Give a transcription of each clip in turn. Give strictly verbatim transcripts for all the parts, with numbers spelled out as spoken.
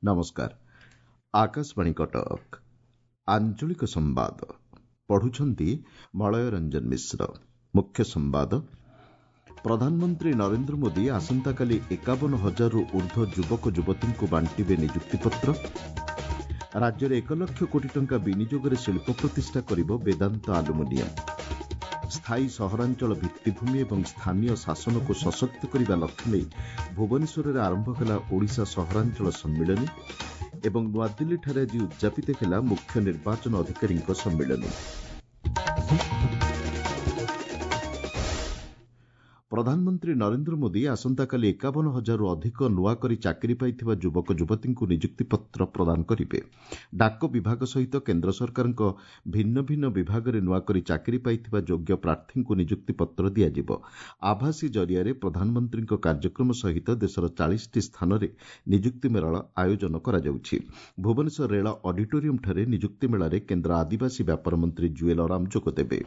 ନମସ୍କାର ଆକାଶବାଣୀ କଟକ ଆଞ୍ଚଳିକ ସମ୍ବାଦ ପଢୁଛନ୍ତି ମଳୟ ରଞ୍ଜନ ମିଶ୍ର ମୁଖ୍ୟ ସମ୍ବାଦ ପ୍ରଧାନମନ୍ତ୍ରୀ ନରେନ୍ଦ୍ର ମୋଦି ଆସନ୍ତାକାଲି ଏକାବନ ହଜାରରୁ ଊର୍ଦ୍ଧ୍ୱ ଯୁବକ ଯୁବତୀଙ୍କୁ ବାଣ୍ଟିବେ ନିଯୁକ୍ତିପତ୍ର ରାଜ୍ୟରେ ଏକ ଲକ୍ଷ କୋଟି ଟଙ୍କା ବିନିଯୋଗରେ ଶିଳ୍ପ ପ୍ରତିଷ୍ଠା କରିବ ବେଦାନ୍ତ ଆଲୁମିନିୟମ ସ୍ଥାୟୀ ସହରାଞ୍ଚଳ ଭିତ୍ତିଭୂମି ଏବଂ ସ୍ଥାନୀୟ ଶାସନକୁ ସଶକ୍ତ କରିବା ଲକ୍ଷ୍ୟ ନେଇ ଭୁବନେଶ୍ୱରରେ ଆରମ୍ଭ ହେଲା ଓଡ଼ିଶା ସହରାଞ୍ଚଳ ସମ୍ମିଳନୀ ଏବଂ ନୂଆଦିଲ୍ଲୀଠାରେ ଆଜି ଉଦ୍ଯାପିତ ହେଲା ମୁଖ୍ୟ ନିର୍ବାଚନ ଅଧିକାରୀଙ୍କ ସମ୍ମିଳନୀ ପ୍ରଧାନମନ୍ତ୍ରୀ ନରେନ୍ଦ୍ର ମୋଦି ଆସନ୍ତାକାଲି ଏକାବନ ହଜାରରୁ ଅଧିକ ନୂଆ କରି ଚାକିରି ପାଇଥିବା ଯୁବକ ଯୁବତୀଙ୍କୁ ନିଯୁକ୍ତିପତ୍ର ପ୍ରଦାନ କରିବେ ଡାକ ବିଭାଗ ସହିତ କେନ୍ଦ୍ର ସରକାରଙ୍କ ଭିନ୍ନ ଭିନ୍ନ ବିଭାଗରେ ନୂଆ କରି ଚାକିରି ପାଇଥିବା ଯୋଗ୍ୟ ପ୍ରାର୍ଥୀଙ୍କୁ ନିଯୁକ୍ତିପତ୍ର ଦିଆଯିବ ଆଭାସୀ ଜରିଆରେ ପ୍ରଧାନମନ୍ତ୍ରୀଙ୍କ କାର୍ଯ୍ୟକ୍ରମ ସହିତ ଦେଶର ଚାଳିଶଟି ସ୍ଥାନରେ ନିଯୁକ୍ତି ମେଳା ଆୟୋଜନ କରାଯାଉଛି ଭୁବନେଶ୍ୱର ରେଳ ଅଡିଟୋରିୟମ୍ଠାରେ ନିଯୁକ୍ତି ମେଳାରେ କେନ୍ଦ୍ର ଆଦିବାସୀ ବ୍ୟାପାର ମନ୍ତ୍ରୀ ଜୁଏଲ୍ ଓରାମ ଯୋଗଦେବେ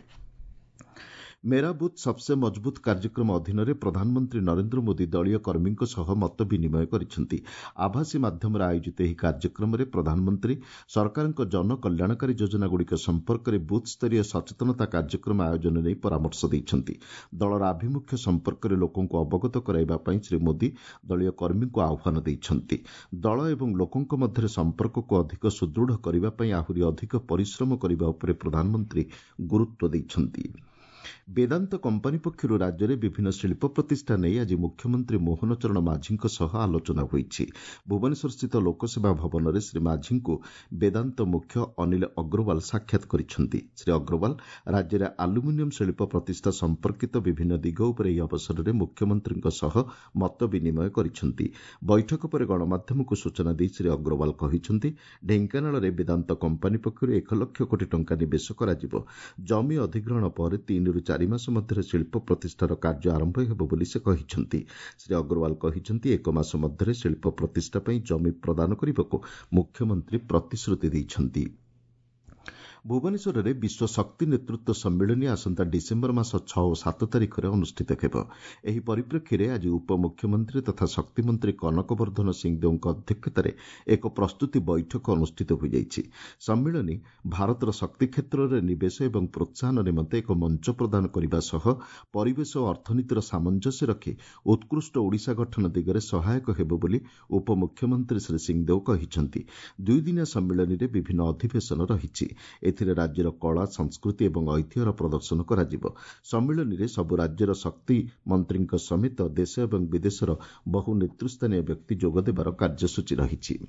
ମେରା ବୁଥ୍ ସବ୍ସେ ମଜବୁତ୍ କାର୍ଯ୍ୟକ୍ରମ ଅଧୀନରେ ପ୍ରଧାନମନ୍ତ୍ରୀ ନରେନ୍ଦ୍ର ମୋଦି ଦଳୀୟ କର୍ମୀଙ୍କ ସହ ମତ ବିନିମୟ କରିଛନ୍ତି ଆଭାସୀ ମାଧ୍ୟମରେ ଆୟୋଜିତ ଏହି କାର୍ଯ୍ୟକ୍ରମରେ ପ୍ରଧାନମନ୍ତ୍ରୀ ସରକାରଙ୍କ ଜନକଲ୍ୟାଣକାରୀ ଯୋଜନାଗୁଡ଼ିକ ସମ୍ପର୍କରେ ବୁଥ୍ସ୍ତରୀୟ ସଚେତନତା କାର୍ଯ୍ୟକ୍ରମ ଆୟୋଜନ ନେଇ ପରାମର୍ଶ ଦେଇଛନ୍ତି ଦଳର ଆଭିମୁଖ୍ୟ ସମ୍ପର୍କରେ ଲୋକଙ୍କୁ ଅବଗତ କରାଇବା ପାଇଁ ଶ୍ରୀ ମୋଦି ଦଳୀୟ କର୍ମୀଙ୍କୁ ଆହ୍ୱାନ ଦେଇଛନ୍ତି ଦଳ ଏବଂ ଲୋକଙ୍କ ମଧ୍ୟରେ ସମ୍ପର୍କକୁ ଅଧିକ ସୁଦୃଢ଼ କରିବା ପାଇଁ ଆହୁରି ଅଧିକ ପରିଶ୍ରମ କରିବା ଉପରେ ପ୍ରଧାନମନ୍ତ୍ରୀ ଗୁରୁତ୍ୱ ଦେଇଛନ୍ତି ବେଦାନ୍ତ କମ୍ପାନୀ ପକ୍ଷରୁ ରାଜ୍ୟରେ ବିଭିନ୍ନ ଶିଳ୍ପ ପ୍ରତିଷ୍ଠା ନେଇ ଆଜି ମୁଖ୍ୟମନ୍ତ୍ରୀ ମୋହନ ଚରଣ ମାଝୀଙ୍କ ସହ ଆଲୋଚନା ହୋଇଛି ଭୁବନେଶ୍ୱରସ୍ଥିତ ଲୋକସେବା ଭବନରେ ଶ୍ରୀ ମାଝୀଙ୍କୁ ବେଦାନ୍ତ ମୁଖ୍ୟ ଅନିଲ ଅଗ୍ରୱାଲ ସାକ୍ଷାତ କରିଛନ୍ତି ଶ୍ରୀ ଅଗ୍ରୱାଲ ରାଜ୍ୟରେ ଆଲୁମିନିୟମ ଶିଳ୍ପ ପ୍ରତିଷ୍ଠା ସମ୍ପର୍କିତ ବିଭିନ୍ନ ଦିଗ ଉପରେ ଏହି ଅବସରରେ ମୁଖ୍ୟମନ୍ତ୍ରୀଙ୍କ ସହ ମତ ବିନିମୟ କରିଛନ୍ତି ବୈଠକ ପରେ ଗଣମାଧ୍ୟମକୁ ସୂଚନା ଦେଇ ଶ୍ରୀ ଅଗ୍ରୱାଲ କହିଛନ୍ତି ଢେଙ୍କାନାଳରେ ବେଦାନ୍ତ କମ୍ପାନୀ ପକ୍ଷରୁ ଏକ ଲକ୍ଷ କୋଟି ଟଙ୍କା ନିବେଶ କରାଯିବ ଜମି ଅଧିଗ୍ରହଣ ପରେ ତିନିରୁ ଚାରି ମାସ ମଧ୍ୟରେ ଶିଳ୍ପ ପ୍ରତିଷ୍ଠାର କାର୍ଯ୍ୟ ଆରମ୍ଭ ହେବ ବୋଲି ସେ କହିଛନ୍ତି ଶ୍ରୀ ଅଗ୍ରୱାଲ କହିଛନ୍ତି ଏକ ମାସ ମଧ୍ୟରେ ଶିଳ୍ପ ପ୍ରତିଷ୍ଠା ପାଇଁ ଜମି ପ୍ରଦାନ କରିବାକୁ ମୁଖ୍ୟମନ୍ତ୍ରୀ ପ୍ରତିଶ୍ରୁତି ଦେଇଛନ୍ତି ଭୁବନେଶ୍ୱରରେ ବିଶ୍ୱ ଶକ୍ତି ନେତୃତ୍ୱ ସମ୍ମିଳନୀ ଆସନ୍ତା ଡିସେମ୍ବର ମାସ ଛଅ ଓ ସାତ ତାରିଖରେ ଅନୁଷ୍ଠିତ ହେବ ଏହି ପରିପ୍ରେକ୍ଷୀରେ ଆଜି ଉପମୁଖ୍ୟମନ୍ତ୍ରୀ ତଥା ଶକ୍ତିମନ୍ତ୍ରୀ କନକ ବର୍ଦ୍ଧନ ସିଂଦେଓଙ୍କ ଅଧ୍ୟକ୍ଷତାରେ ଏକ ପ୍ରସ୍ତୁତି ବୈଠକ ଅନୁଷ୍ଠିତ ହୋଇଯାଇଛି ସମ୍ମିଳନୀ ଭାରତର ଶକ୍ତି କ୍ଷେତ୍ରରେ ନିବେଶ ଏବଂ ପ୍ରୋତ୍ସାହନ ନିମନ୍ତେ ଏକ ମଞ୍ଚ ପ୍ରଦାନ କରିବା ସହ ପରିବେଶ ଓ ଅର୍ଥନୀତିର ସାମଞ୍ଜସ୍ୟ ରଖି ଉତ୍କୃଷ୍ଟ ଓଡ଼ିଶା ଗଠନ ଦିଗରେ ସହାୟକ ହେବ ବୋଲି ଉପମୁଖ୍ୟମନ୍ତ୍ରୀ ଶ୍ରୀ ସିଂଦେଓ କହିଛନ୍ତି ଦୁଇଦିନିଆ ସମ୍ମିଳନୀରେ ବିଭିନ୍ନ ଅଧିବେଶନ ରହିଛି ଏଥିରେ ରାଜ୍ୟର କଳା ସଂସ୍କୃତି ଏବଂ ଐତିହ୍ୟର ପ୍ରଦର୍ଶନ କରାଯିବ ସମ୍ମିଳନୀରେ ସବୁ ରାଜ୍ୟର ଶକ୍ତି ମନ୍ତ୍ରୀଙ୍କ ସମେତ ଦେଶ ଏବଂ ବିଦେଶର ବହୁ ନେତୃସ୍ଥାନୀୟ ବ୍ୟକ୍ତି ଯୋଗଦେବାର କାର୍ଯ୍ୟସୂଚୀ ରହିଛି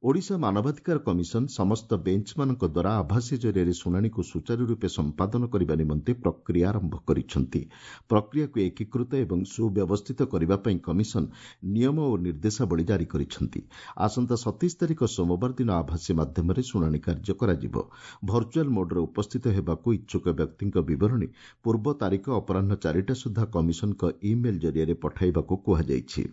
ଓଡ଼ିଶା ମାନବାଧିକାର କମିଶନ ସମସ୍ତ ବେଞ୍ଚମାନଙ୍କ ଦ୍ୱାରା ଆଭାସୀ ଜରିଆରେ ଶୁଣାଣିକୁ ସୁଚାରୁରୂପେ ସମ୍ପାଦନ କରିବା ନିମନ୍ତେ ପ୍ରକ୍ରିୟା ଆରମ୍ଭ କରିଛନ୍ତି ପ୍ରକ୍ରିୟାକୁ ଏକୀକୃତ ଏବଂ ସୁବ୍ୟବସ୍ଥିତ କରିବା ପାଇଁ କମିଶନ ନିୟମ ଓ ନିର୍ଦ୍ଦେଶାବଳୀ ଜାରି କରିଛନ୍ତି ଆସନ୍ତା ସତେଇଶ ତାରିଖ ସୋମବାର ଦିନ ଆଭାସୀ ମାଧ୍ୟମରେ ଶୁଣାଣି କାର୍ଯ୍ୟ କରାଯିବ ଭର୍ଚୁଆଲ୍ ମୋଡ୍ରେ ଉପସ୍ଥିତ ହେବାକୁ ଇଚ୍ଛୁକ ବ୍ୟକ୍ତିଙ୍କ ବିବରଣୀ ପୂର୍ବ ତାରିଖ ଅପରାହ୍ନ ଚାରିଟା ସୁଦ୍ଧା କମିଶନଙ୍କ ଇମେଲ୍ ଜରିଆରେ ପଠାଇବାକୁ କୁହାଯାଇଛି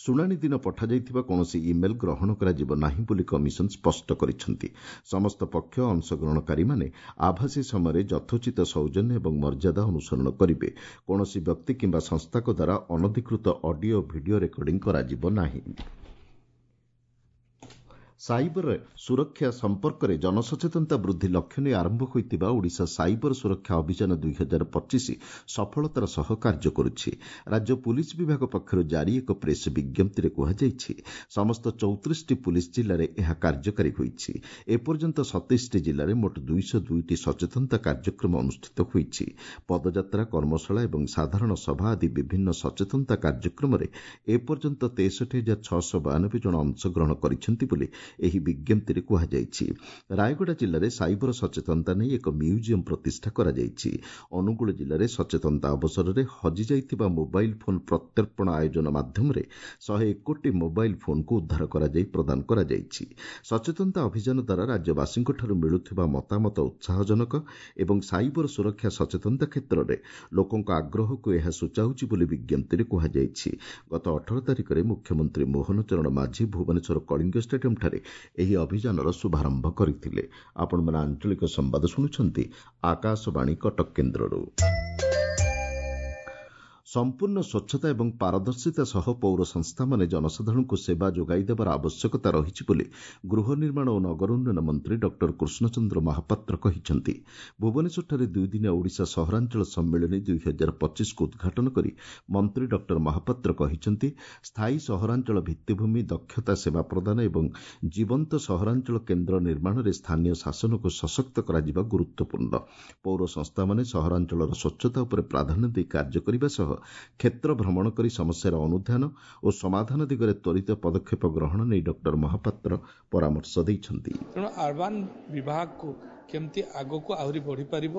ଶୁଣାଣି ଦିନ ପଠାଯାଇଥିବା କୌଣସି ଇମେଲ୍ ଗ୍ରହଣ କରାଯିବ ନାହିଁ ବୋଲି କମିଶନ ସ୍ପଷ୍ଟ କରିଛନ୍ତି ସମସ୍ତ ପକ୍ଷ ଅଂଶଗ୍ରହଣକାରୀମାନେ ଆଭାସୀ ସମୟରେ ଯଥୋଚିତ ସୌଜନ୍ୟ ଏବଂ ମର୍ଯ୍ୟାଦା ଅନୁସରଣ କରିବେ କୌଣସି ବ୍ୟକ୍ତି କିମ୍ବା ସଂସ୍ଥାଙ୍କ ଦ୍ୱାରା ଅନଧିକୃତ ଅଡିଓ ଭିଡିଓ ରେକର୍ଡିଂ କରାଯିବ ନାହିଁ ସାଇବର ସୁରକ୍ଷା ସମ୍ପର୍କରେ ଜନସଚେତନତା ବୃଦ୍ଧି ଲକ୍ଷ୍ୟ ନେଇ ଆରମ୍ଭ ହୋଇଥିବା ଓଡ଼ିଶା ସାଇବର ସୁରକ୍ଷା ଅଭିଯାନ ଦୁଇ ହଜାର ପଚିଶ ସଫଳତାର ସହ କାର୍ଯ୍ୟ କରୁଛି ରାଜ୍ୟ ପୁଲିସ୍ ବିଭାଗ ପକ୍ଷରୁ ଜାରି ଏକ ପ୍ରେସ୍ ବିଜ୍ଞପ୍ତିରେ କୁହାଯାଇଛି ସମସ୍ତ ଚଉତିରିଶଟି ପୁଲିସ୍ ଜିଲ୍ଲାରେ ଏହା କାର୍ଯ୍ୟକାରୀ ହୋଇଛି ଏପର୍ଯ୍ୟନ୍ତ ସତେଇଶଟି ଜିଲ୍ଲାରେ ମୋଟ ଦୁଇଶହ ଦୁଇଟି ସଚେତନତା କାର୍ଯ୍ୟକ୍ରମ ଅନୁଷ୍ଠିତ ହୋଇଛି ପଦଯାତ୍ରା କର୍ମଶାଳା ଏବଂ ସାଧାରଣ ସଭା ଆଦି ବିଭିନ୍ନ ସଚେତନତା କାର୍ଯ୍ୟକ୍ରମରେ ଏପର୍ଯ୍ୟନ୍ତ ତେଷଠି ହଜାର ଛଅଶହ ବୟାନବେ ଜଣ ଅଂଶଗ୍ରହଣ କରିଛନ୍ତି ବୋଲି ଏହି ବିଜ୍ଞପ୍ତିରେ କୁହାଯାଇଛି ରାୟଗଡ଼ା ଜିଲ୍ଲାରେ ସାଇବର ସଚେତନତା ନେଇ ଏକ ମ୍ୟୁଜିୟମ୍ ପ୍ରତିଷ୍ଠା କରାଯାଇଛି ଅନୁଗୁଳ ଜିଲ୍ଲାରେ ସଚେତନତା ଅବସରରେ ହଜିଯାଇଥିବା ମୋବାଇଲ୍ ଫୋନ୍ ପ୍ରତ୍ୟର୍ପଣ ଆୟୋଜନ ମାଧ୍ୟମରେ ଶହେ ଏକଟି ମୋବାଇଲ୍ ଫୋନ୍କୁ ଉଦ୍ଧାର କରାଯାଇ ପ୍ରଦାନ କରାଯାଇଛି ସଚେତନତା ଅଭିଯାନ ଦ୍ୱାରା ରାଜ୍ୟବାସୀଙ୍କଠାରୁ ମିଳୁଥିବା ମତାମତ ଉତ୍ସାହଜନକ ଏବଂ ସାଇବର ସୁରକ୍ଷା ସଚେତନତା କ୍ଷେତ୍ରରେ ଲୋକଙ୍କ ଆଗ୍ରହକୁ ଏହା ସୂଚାଉଛି ବୋଲି ବିଜ୍ଞପ୍ତିରେ କୁହାଯାଇଛି ଗତ ଅଠର ତାରିଖରେ ମୁଖ୍ୟମନ୍ତ୍ରୀ ମୋହନ ଚରଣ ମାଝୀ ଭୁବନେଶ୍ୱର କଳିଙ୍ଗ ଷ୍ଟାଡିୟମ୍ଠାରେ ଏହି ଅଭିଯାନର ଶୁଭାରମ୍ଭ କରିଥିଲେ। ଆପଣମାନେ ଆଞ୍ଚଳିକ ସମ୍ବାଦ ଶୁଣୁଛନ୍ତି ଆକାଶବାଣୀ କଟକ କେନ୍ଦ୍ରରୁ। ସମ୍ପୂର୍ଣ୍ଣ ସ୍ୱଚ୍ଛତା ଏବଂ ପାରଦର୍ଶିତା ସହ ପୌର ସଂସ୍ଥାମାନେ ଜନସାଧାରଣଙ୍କୁ ସେବା ଯୋଗାଇ ଦେବାର ଆବଶ୍ୟକତା ରହିଛି ବୋଲି ଗୃହ ନିର୍ମାଣ ଓ ନଗର ଉନ୍ନୟନ ମନ୍ତ୍ରୀ ଡକ୍ଟର କୃଷ୍ଣଚନ୍ଦ୍ର ମହାପାତ୍ର କହିଛନ୍ତି। ଭୁବନେଶ୍ୱରଠାରେ ଦୁଇଦିନିଆ ଓଡ଼ିଶା ସହରାଞ୍ଚଳ ସମ୍ମିଳନୀ ଦୁଇ ହଜାର ପଚିଶକୁ ଉଦ୍ଘାଟନ କରି ମନ୍ତ୍ରୀ ଡକ୍ଟର ମହାପାତ୍ର କହିଛନ୍ତି, ସ୍ଥାୟୀ ସହରାଞ୍ଚଳ ଭିତ୍ତିଭୂମି, ଦକ୍ଷତା ସେବା ପ୍ରଦାନ ଏବଂ ଜୀବନ୍ତ ସହରାଞ୍ଚଳ କେନ୍ଦ୍ର ନିର୍ମାଣରେ ସ୍ଥାନୀୟ ଶାସନକୁ ସଶକ୍ତ କରାଯିବା ଗୁରୁତ୍ୱପୂର୍ଣ୍ଣ। ପୌର ସଂସ୍ଥାମାନେ ସହରାଞ୍ଚଳର ସ୍ୱଚ୍ଛତା ଉପରେ ପ୍ରାଧାନ୍ୟ ଦେଇ କାର୍ଯ୍ୟ କରିବା ସହ କ୍ଷେତ୍ର ଭ୍ରମଣ କରି ସମସ୍ୟାର ଅନୁଧ୍ୟାନ ଓ ସମାଧାନ ଦିଗରେ ତ୍ୱରିତ ପଦକ୍ଷେପ ଗ୍ରହଣ ନେଇ ଡକ୍ଟର ମହାପାତ୍ର ପରାମର୍ଶ ଦେଇଛନ୍ତି। ତେଣୁ ଆର୍ବାନ୍ ବିଭାଗକୁ କେମିତି ଆଗକୁ ଆହୁରି ବଢ଼ିପାରିବ,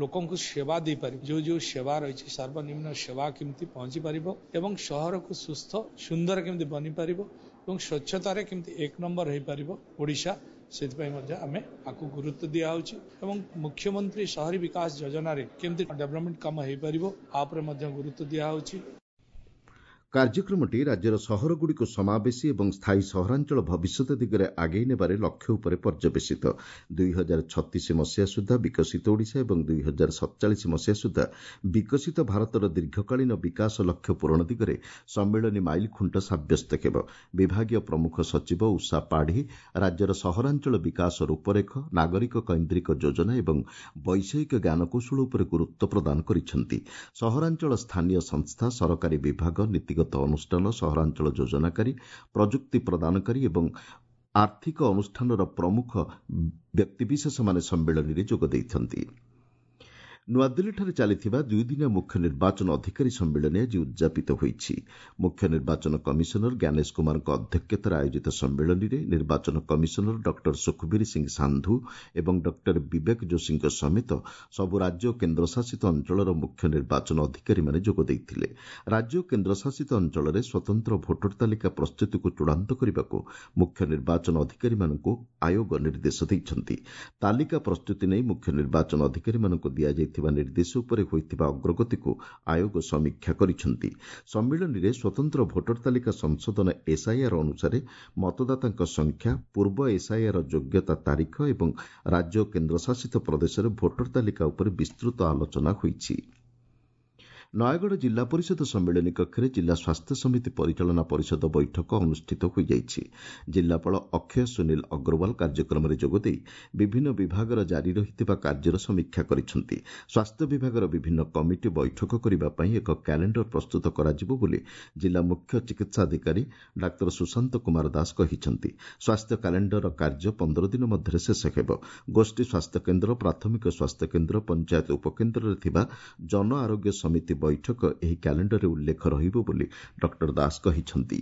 ଲୋକଙ୍କୁ ସେବା ଦେଇପାରିବ, ଯେଉଁ ଯେଉଁ ସେବା ରହିଛି ସର୍ବନିମ୍ନ ସେବା କେମିତି ପହଞ୍ଚି ପାରିବ ଏବଂ ସହରକୁ ସୁସ୍ଥ ସୁନ୍ଦର କେମିତି ବନିପାରିବ ଏବଂ ସ୍ୱଚ୍ଛତାରେ କେମିତି ଏକ ନମ୍ବର ହେଇପାରିବ ଓଡ଼ିଶା, ସେଥିପାଇଁ ମଧ୍ୟ ଆମେ ଆକୁ ଗୁରୁତ୍ୱ ଦିଆହେଉଛି। ଏବଂ ମୁଖ୍ୟମନ୍ତ୍ରୀ ସହରୀ ବିକାଶ ଯୋଜନାରେ କେମିତି ଡେଭଲପମେଣ୍ଟ କାମ ହେଇପାରିବ ଆ ଉପରେ ମଧ୍ୟ ଗୁରୁତ୍ୱ ଦିଆହେଉଛି। କାର୍ଯ୍ୟକ୍ରମଟି ରାଜ୍ୟର ସହରଗୁଡ଼ିକୁ ସମାବେଶୀ ଏବଂ ସ୍ଥାୟୀ ସହରାଞ୍ଚଳ ଭବିଷ୍ୟତ ଦିଗରେ ଆଗେଇ ନେବାରେ ଲକ୍ଷ୍ୟ ଉପରେ ପର୍ଯ୍ୟବେସିତ। ଦୁଇ ହଜାର ଛତିଶ ମସିହା ସୁଦ୍ଧା ବିକଶିତ ଓଡ଼ିଶା ଏବଂ ଦୁଇ ହଜାର ସତଚାଳିଶ ମସିହା ସୁଦ୍ଧା ବିକଶିତ ଭାରତର ଦୀର୍ଘକାଳୀନ ବିକାଶ ଲକ୍ଷ୍ୟ ପୂରଣ ଦିଗରେ ସମ୍ମିଳନୀ ମାଇଲଖୁଣ୍ଟ ସାବ୍ୟସ୍ତ ହେବ। ବିଭାଗୀୟ ପ୍ରମୁଖ ସଚିବ ଉଷା ପାଢ଼ୀ ରାଜ୍ୟର ସହରାଞ୍ଚଳ ବିକାଶ ରୂପରେଖ, ନାଗରିକ କୈନ୍ଦ୍ରିକ ଯୋଜନା ଏବଂ ବୈଷୟିକ ଜ୍ଞାନକୌଶଳ ଉପରେ ଗୁରୁତ୍ୱ ପ୍ରଦାନ କରିଛନ୍ତି। ସହରାଞ୍ଚଳ ସ୍ଥାନୀୟ ସଂସ୍ଥା, ସରକାରୀ ବିଭାଗ, ନୀତିଗତ ଅନୁଷ୍ଠାନ, ସହରାଞ୍ଚଳ ଯୋଜନାକାରୀ, ପ୍ରଯୁକ୍ତି ପ୍ରଦାନକାରୀ ଏବଂ ଆର୍ଥିକ ଅନୁଷ୍ଠାନର ପ୍ରମୁଖ ବ୍ୟକ୍ତିବିଶେଷମାନେ ସମ୍ମିଳନୀରେ ଯୋଗ ଦେଇଛନ୍ତି। ନୂଆଦିଲ୍ଲୀଠାରେ ଚାଲିଥିବା ଦୁଇଦିନିଆ ମୁଖ୍ୟ ନିର୍ବାଚନ ଅଧିକାରୀ ସମ୍ମିଳନୀ ଆଜି ଉଦ୍ଯାପିତ ହୋଇଛି। ମୁଖ୍ୟ ନିର୍ବାଚନ କମିଶନର ଜ୍ଞାନେଶ କୁମାରଙ୍କ ଅଧ୍ୟକ୍ଷତାରେ ଆୟୋଜିତ ସମ୍ମିଳନୀରେ ନିର୍ବାଚନ କମିଶନର ଡକ୍ଟର ସୁଖବୀର ସିଂ ସାନ୍ଧୁ ଏବଂ ଡକ୍ଟର ବିବେକ ଯୋଶୀଙ୍କ ସମେତ ସବୁ ରାଜ୍ୟ ଓ କେନ୍ଦ୍ରଶାସିତ ଅଞ୍ଚଳର ମୁଖ୍ୟ ନିର୍ବାଚନ ଅଧିକାରୀମାନେ ଯୋଗ ଦେଇଥିଲେ। ରାଜ୍ୟ ଓ କେନ୍ଦ୍ରଶାସିତ ଅଞ୍ଚଳରେ ସ୍ୱତନ୍ତ୍ର ଭୋଟର ତାଲିକା ପ୍ରସ୍ତୁତିକୁ ଚୂଡ଼ାନ୍ତ କରିବାକୁ ମୁଖ୍ୟ ନିର୍ବାଚନ ଅଧିକାରୀମାନଙ୍କୁ ଆୟୋଗ ନିର୍ଦ୍ଦେଶ ଦେଇଛନ୍ତି। ତାଲିକା ପ୍ରସ୍ତୁତି ନେଇ ମୁଖ୍ୟ ନିର୍ବାଚନ ଅଧିକାରୀମାନଙ୍କୁ ଦିଆଯାଇଥିବା ଥିବା ନିର୍ଦ୍ଦେଶ ଉପରେ ହୋଇଥିବା ଅଗ୍ରଗତିକୁ ଆୟୋଗ ସମୀକ୍ଷା କରିଛନ୍ତି। ସମ୍ମିଳନୀରେ ସ୍ୱତନ୍ତ୍ର ଭୋଟର ତାଲିକା ସଂଶୋଧନ ଏସ୍ଆଇଆର୍ ଅନୁସାରେ ମତଦାତାଙ୍କ ସଂଖ୍ୟା, ପୂର୍ବ ଏସ୍ଆଇଆର୍ ଯୋଗ୍ୟତା ତାରିଖ ଏବଂ ରାଜ୍ୟ ଓ କେନ୍ଦ୍ରଶାସିତ ପ୍ରଦେଶରେ ଭୋଟର ତାଲିକା ଉପରେ ବିସ୍ତୃତ ଆଲୋଚନା ହୋଇଛି। ନୟାଗଡ଼ ଜିଲ୍ଲା ପରିଷଦ ସମ୍ମିଳନୀ କକ୍ଷରେ ଜିଲ୍ଲା ସ୍ୱାସ୍ଥ୍ୟ ସମିତି ପରିଚାଳନା ପରିଷଦ ବୈଠକ ଅନୁଷ୍ଠିତ ହୋଇଯାଇଛି। ଜିଲ୍ଲାପାଳ ଅକ୍ଷୟ ସୁନୀଲ ଅଗ୍ରୱାଲ କାର୍ଯ୍ୟକ୍ରମରେ ଯୋଗଦେଇ ବିଭିନ୍ନ ବିଭାଗର ଜାରି ରହିଥିବା କାର୍ଯ୍ୟର ସମୀକ୍ଷା କରିଛନ୍ତି। ସ୍ୱାସ୍ଥ୍ୟ ବିଭାଗର ବିଭିନ୍ନ କମିଟି ବୈଠକ କରିବା ପାଇଁ ଏକ କ୍ୟାଲେଣ୍ଡର ପ୍ରସ୍ତୁତ କରାଯିବ ବୋଲି ଜିଲ୍ଲା ମୁଖ୍ୟ ଚିକିତ୍ସାଧିକାରୀ ଡାକ୍ତର ସୁଶାନ୍ତ କୁମାର ଦାସ କହିଛନ୍ତି। ସ୍ୱାସ୍ଥ୍ୟ କ୍ୟାଲେଣ୍ଡରର କାର୍ଯ୍ୟ ପନ୍ଦର ଦିନ ମଧ୍ୟରେ ଶେଷ ହେବ। ଗୋଷ୍ଠୀ ସ୍ୱାସ୍ଥ୍ୟକେନ୍ଦ୍ର, ପ୍ରାଥମିକ ସ୍ୱାସ୍ଥ୍ୟକେନ୍ଦ୍ର, ପଞ୍ଚାୟତ ଉପକେନ୍ଦ୍ରରେ ଥିବା ଜନ ଆରୋଗ୍ୟ ସମିତି ବୈଠକ ଏହି କ୍ୟାଲେଣ୍ଡରରେ ଉଲ୍ଲେଖ ରହିବ ବୋଲି ଡକ୍ଟର ଦାସ କହିଛନ୍ତି।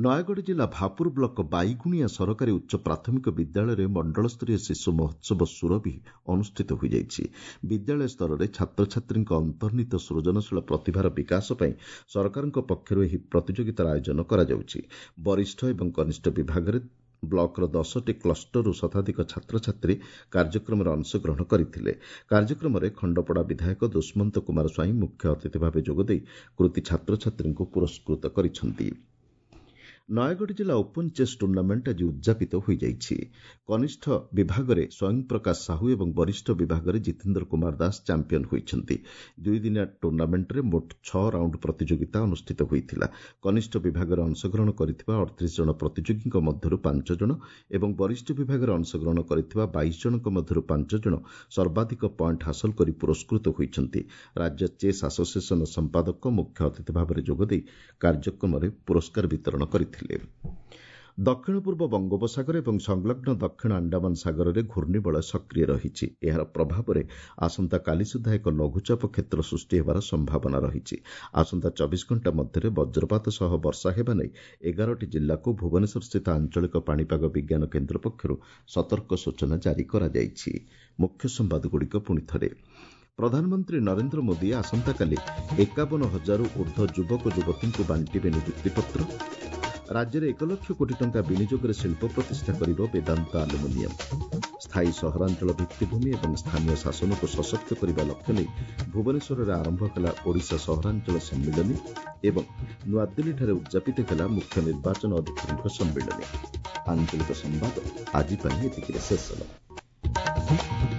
ନୟାଗଡ଼ ଜିଲ୍ଲା ଭାପୁର ବ୍ଲକ ବାଇଗୁଣିଆ ସରକାରୀ ଉଚ୍ଚ ପ୍ରାଥମିକ ବିଦ୍ୟାଳୟରେ ମଣ୍ଡଳସ୍ତରୀୟ ଶିଶୁ ମହୋତ୍ସବ ସୁରଭି ଅନୁଷ୍ଠିତ ହୋଇଯାଇଛି। ବିଦ୍ୟାଳୟ ସ୍ତରରେ ଛାତ୍ରଛାତ୍ରୀଙ୍କ ଅନ୍ତର୍ନିହିତ ସୃଜନଶୀଳ ପ୍ରତିଭାର ବିକାଶ ପାଇଁ ସରକାରଙ୍କ ପକ୍ଷରୁ ଏହି ପ୍ରତିଯୋଗିତାର ଆୟୋଜନ କରାଯାଉଛି। ବରିଷ୍ଠ ଏବଂ କନିଷ୍ଠ ବିଭାଗରେ ବ୍ଲକର ଦଶଟି କ୍ଲଷ୍ଟରରୁ ଶତାଧିକ ଛାତ୍ରଛାତ୍ରୀ କାର୍ଯ୍ୟକ୍ରମରେ ଅଂଶଗ୍ରହଣ କରିଥିଲେ। କାର୍ଯ୍ୟକ୍ରମରେ ଖଣ୍ଡପଡ଼ା ବିଧାୟକ ଦୁଷ୍ମନ୍ତ କୁମାର ସ୍ୱାଇଁ ମୁଖ୍ୟ ଅତିଥି ଭାବେ ଯୋଗଦେଇ କୃତି ଛାତ୍ରଛାତ୍ରୀଙ୍କୁ ପୁରସ୍କୃତ କରିଛନ୍ତି। ନୟାଗଡ଼ ଜିଲ୍ଲା ଓପନ୍ ଚେସ୍ ଟୁର୍ଣ୍ଣାମେଣ୍ଟ ଆଜି ଉଦ୍ଯାପିତ ହୋଇଯାଇଛି। କନିଷ୍ଠ ବିଭାଗରେ ସ୍ୱୟଂ ପ୍ରକାଶ ସାହୁ ଏବଂ ବରିଷ୍ଠ ବିଭାଗରେ ଜିତେନ୍ଦ୍ର କୁମାର ଦାସ ଚାମ୍ପିୟନ ହୋଇଛନ୍ତି। ଦୁଇଦିନିଆ ଟୁର୍ଣ୍ଣାମେଣ୍ଟରେ ମୋଟ ଛଅ ରାଉଣ୍ଡ ପ୍ରତିଯୋଗିତା ଅନୁଷ୍ଠିତ ହୋଇଥିଲା। କନିଷ୍ଠ ବିଭାଗରେ ଅଂଶଗ୍ରହଣ କରିଥିବା ଅଠତିରିଶ ଜଣ ପ୍ରତିଯୋଗୀଙ୍କ ମଧ୍ୟରୁ ପାଞ୍ଚ ଜଣ ଏବଂ ବରିଷ୍ଠ ବିଭାଗରେ ଅଂଶଗ୍ରହଣ କରିଥିବା ବାଇଶ ଜଣଙ୍କ ମଧ୍ୟରୁ ପାଞ୍ଚ ଜଣ ସର୍ବାଧିକ ପଏଣ୍ଟ ହାସଲ କରି ପୁରସ୍କୃତ ହୋଇଛନ୍ତି। ରାଜ୍ୟ ଚେସ୍ ଆସୋସିଏସନର ସମ୍ପାଦକ ମୁଖ୍ୟ ଅତିଥି ଭାବରେ ଯୋଗଦେଇ କାର୍ଯ୍ୟକ୍ରମରେ ପୁରସ୍କାର ବିତରଣ କରିଥିଲେ। ଦକ୍ଷିଣ ପୂର୍ବ ବଙ୍ଗୋପସାଗର ଏବଂ ସଂଲଗ୍ନ ଦକ୍ଷିଣ ଆଣ୍ଡାମାନ ସାଗରରେ ଘୂର୍ଣ୍ଣିବଳୟ ସକ୍ରିୟ ରହିଛି। ଏହାର ପ୍ରଭାବରେ ଆସନ୍ତାକାଲି ସୁଦ୍ଧା ଏକ ଲଘୁଚାପ କ୍ଷେତ୍ର ସୃଷ୍ଟି ହେବାର ସମ୍ଭାବନା ରହିଛି। ଆସନ୍ତା ଚବିଶ ଘଣ୍ଟା ମଧ୍ୟରେ ବଜ୍ରପାତ ସହ ବର୍ଷା ହେବା ନେଇ ଏଗାରଟି ଜିଲ୍ଲାକୁ ଭୁବନେଶ୍ୱରସ୍ଥିତ ଆଞ୍ଚଳିକ ପାଣିପାଗ ବିଜ୍ଞାନ କେନ୍ଦ୍ର ପକ୍ଷରୁ ସତର୍କ ସୂଚନା ଜାରି କରାଯାଇଛି। ମୁଖ୍ୟ ସମ୍ବାଦଗୁଡ଼ିକ ପୁଣି ଥରେ। ପ୍ରଧାନମନ୍ତ୍ରୀ ନରେନ୍ଦ୍ର ମୋଦି ଆସନ୍ତାକାଲି ଏକାବନ ହଜାରରୁ ଉର୍ଦ୍ଧ୍ୱ ଯୁବକ ଯୁବତୀଙ୍କୁ ବାଣ୍ଟିବେ ନିଯୁକ୍ତିପତ୍ର। ରାଜ୍ୟରେ ଏକ ଲକ୍ଷ କୋଟି ଟଙ୍କା ବିନିଯୋଗରେ ଶିଳ୍ପ ପ୍ରତିଷ୍ଠା କରିବ ବେଦାନ୍ତ ଆଲୁମିନିୟମ। ସ୍ଥାୟୀ ସହରାଞ୍ଚଳ ଭିତ୍ତିଭୂମି ଏବଂ ସ୍ଥାନୀୟ ଶାସନକୁ ସଶକ୍ତ କରିବା ଲକ୍ଷ୍ୟ ନେଇ ଭୁବନେଶ୍ୱରରେ ଆରମ୍ଭ ହେଲା ଓଡ଼ିଶା ସହରାଞ୍ଚଳ ସମ୍ମିଳନୀ ଏବଂ ନୂଆଦିଲ୍ଲୀଠାରେ ଉଦ୍ଯାପିତ ହେଲା ମୁଖ୍ୟ ନିର୍ବାଚନ ଅଧିକାରୀଙ୍କ ସମ୍ମିଳନୀ। ଆଞ୍ଚଳିକ ସମ୍ବାଦ ଆଜି ପାଇଁ ଏତିକିରେ ଶେଷ ହେଲା।